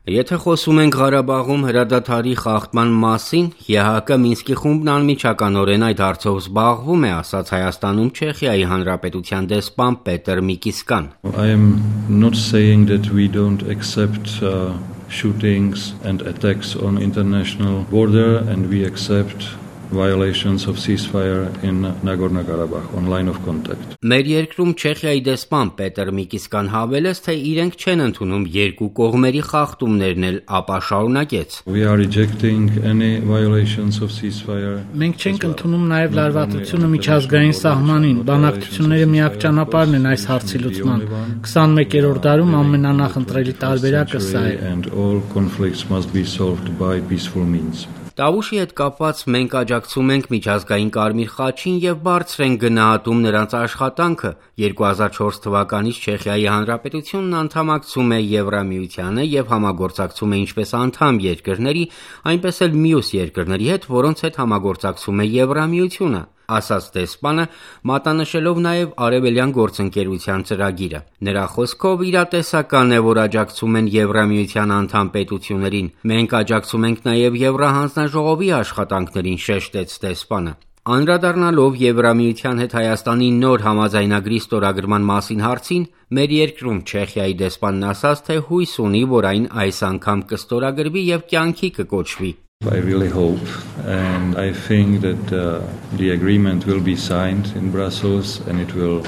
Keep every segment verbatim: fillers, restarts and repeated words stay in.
Եթե խոսում ենք Ղարաբաղում հրադադարի խախտման մասին, ԵՀԿ Մինսկի խումբն անմիջականորեն այդ հարցով զբաղվում է, ասաց Հայաստանում Չեխիայի Հանրապետության դեսպան Պետր Միկիսկան. I am not saying that we don't accept uh, shootings and attacks on international border and we accept violations of ceasefire in Nagorno-Karabakh on line of contact. Մեր երկրում Չեխիայի դեսպան Պետր Միկիսկան հավելեց, թե իրենք չեն ընդունում երկու կողմերի խախտումներն էլ, ապա շարունակեց. We are rejecting any violations of ceasefire. Մենք չենք ընդունում նաև լարվածությունը միջազգային սահմանին, բանակցությունները միակ ճանապարհն են այս հարցի լուծման։ քսանմեկերորդ դարում ամենանախընտրելի տարբերակը սա է. And all conflicts must be solved by peaceful means. Տավուշի հետ կապված մենք աջակցում ենք միջազգային Կարմիր խաչին եւ բարձր ենք գնահատում նրանց աշխատանքը։ երկու հազար չորս թվականից Չեխիայի Հանրապետությունն անդամակցում է Եվրամիությանը եւ համագործակցում է ինչպես անդամ երկրների, այնպես էլ մյուս երկրների հետ, որոնց հետ համագործակցում է Եվրամիությունը, ասաց դեսպանը, մատնանշելով նաև արևելյան գործընկերության ծրագիրը։ Նրա խոսքով իրատեսական է, որ աջակցում են Եվրամիության անդամ պետություններին։ Մենք աջակցում ենք նաև Եվրահանձնաժողովի աշխատանքներին, շեշտեց դեսպանը։ Անդրադառնալով Եվրամիության հետ Հայաստանի նոր համաձայնագրի ստորագրման մասին հարցին, մեր երկրում Չեխիայի դեսպանն ասաց, թե հույս ունի, որ այն այս անգամ կստորագրվի եւ կյանքի կկոչվի։ I really hope and I think that uh, the agreement will be signed in Brussels and it will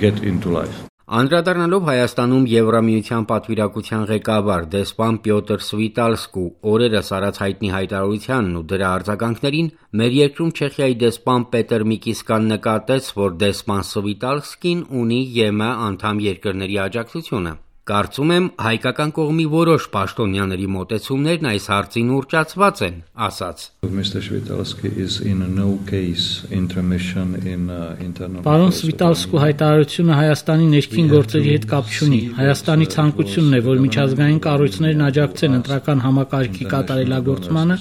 get into life. Անդրադառնալով Հայաստանում Եվրամիության պատվիրակության ղեկավար դեսպան Պյոտր Սվիտալսկու օրերս արած հայտնի հայտարարությանն ու դրա արձագանքներին, մեր երկրում Չեխիայի դեսպան Պետր Միկիսկան նկատեց, որ դեսպան Սվիտալսկին ունի ԵՄ անդամ երկրների աջակցությունը։ Կարծում եմ, հայկական կողմի որոշ պաշտոնյաների մոտեցումներն այս հարցին ուռճացված են, ասաց. Mister Svitálsky is in no case intermission in uh, internal. Պարոն Սվիտալսկու հայտարարությունը Հայաստանի ներքին գործերի հետ կապ չունի։ Հայաստանի ցանկությունն է, որ միջազգային կառույցներն աջակցեն ընտրական համակարգի կատարելագործմանը,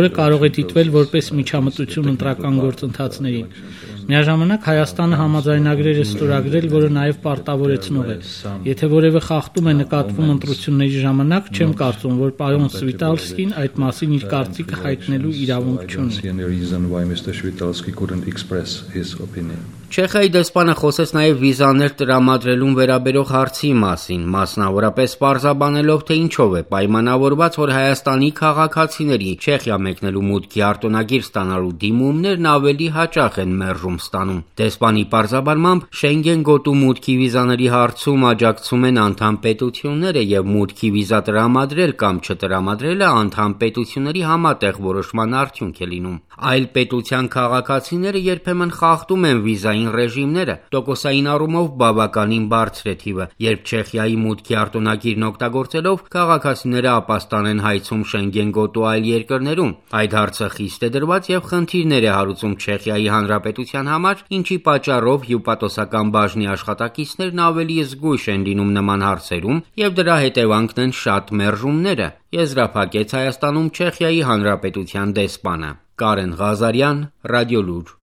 որը կարող է դիտվել որպես միջամտություն ընտրական գործընթացներին։ Միաժամանակ Հայաստանը համաձայնագրեր է ստորագրել, որը նաև պարտավորեցնող է։ Եթե որևէ խախտում է նկատվում ընտրությունների ժամանակ, չեմ կարծում, որ պարոն Սվիտալսկին այդ մասին իր կարծիքը հայտնելու իրավունք չունի։ Չեխիայի դեսպանը խոսեց նաև վիզաներ տրամադրելուն վերաբերող հարցի մասին, մասնավորապես պարզաբանելով, թե ինչով է պայմանավորված, որ Հայաստանի քաղաքացիների Չեխիա մեկնելու մուտքի արտոնագիր ստանալու դիմումներն ավելի հաճախ են մերժում ստանում։ Դեսպանի պարզաբանմամբ Շենգեն գոտու մուտքի վիզաների հարցում աջակցում են անդամ պետությունները եւ մուտքի վիզա տրամադրել կամ չտրամադրելը անդամ պետությունների համատեղ որոշման արդյունք է լինում։ Այլ պետության քաղաքացիները երբեմն խախտում են վիզային ռեժիմները, տոկոսային առումով բավականին բարձր է թիվը, երբ Չեխիայի մուտքի արտոնագիրն օգտագործելով քաղաքացիները ապաստան են հայցում Շենգեն գոտու այլ երկրներում։ Այդ հարցը խիստ է դրված եւ խնդիրներ է հարուցում Չեխիայի Հանրապետության համար, ինչի պատճառով հյուպատոսական բաժնի աշխատակիցներն ավելի զգույշ են լինում նման հարցերում եւ դրա հետևանքն են շատ մերժումները, եզրափակեց Հայաստանում Չեխիայի Հանրապետության դեսպանը։ Կարեն Ղազարյան, Ռադիոլուր։